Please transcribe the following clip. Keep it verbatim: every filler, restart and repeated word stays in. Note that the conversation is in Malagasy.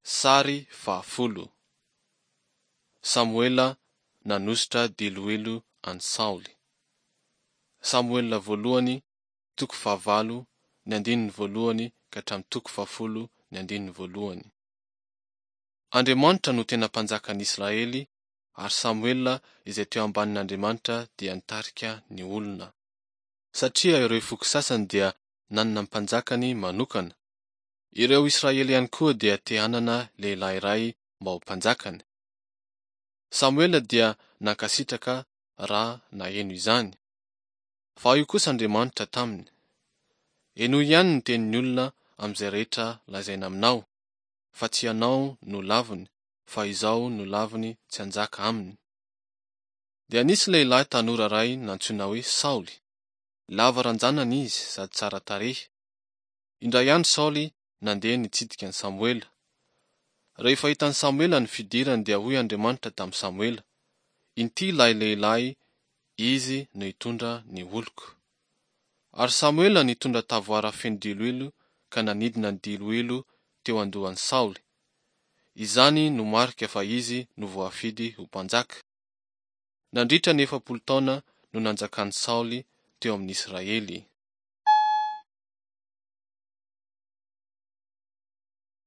Sary fahafolo. Samoela nanosotra diloilo an'i Saoly. Samoela voalohany, toko fahavalo, ny andininy voalohany ka hatramin'ny toko fahafolo ny andininy voalohany. Andriamanitra no tena mpanjakan'ny Israely ary Samoela izay teo ambanin'Andriamanitra dia nitarika ny olona. Satria ireo foko sasany dia nanana ny mpanjakany manokana. Ireo Israely ihany koa dia te hanana lehilahy iray mba ho mpanjakany. Samoela dia nankasitraka raha naheno izany. Fa hoy kosa Andriamanitra taminy, Henoy ihany ny tenin'ny olona amin'izay rehetra lazaina aminao, fa tsy ianao no laviny, fa izaho no laviny tsy hanjaka aminy. Dia nisy lehilahy tanora iray nantsoina hoe Saoly. Lava ranjanana izy sady tsara tarehy. Indray andro Saoly nandeha nitsidika an'i Samoela. Rehefa hitan'i Samoela ny fidirany dia hoy Andriamanitra tamin'i Samoela, Inty ilay lehilahy, izy no hitondra ny oloko. Ary Samoela nitondra tavoara feno diloilo ka nanidina ny diloilo teo an-dohan'i Saoly. Izany no marika fa izy no voafidy ho mpanjaka. Nandritra ny efapolo taona no nanjakan'i Saoly teo amin'ny Israely.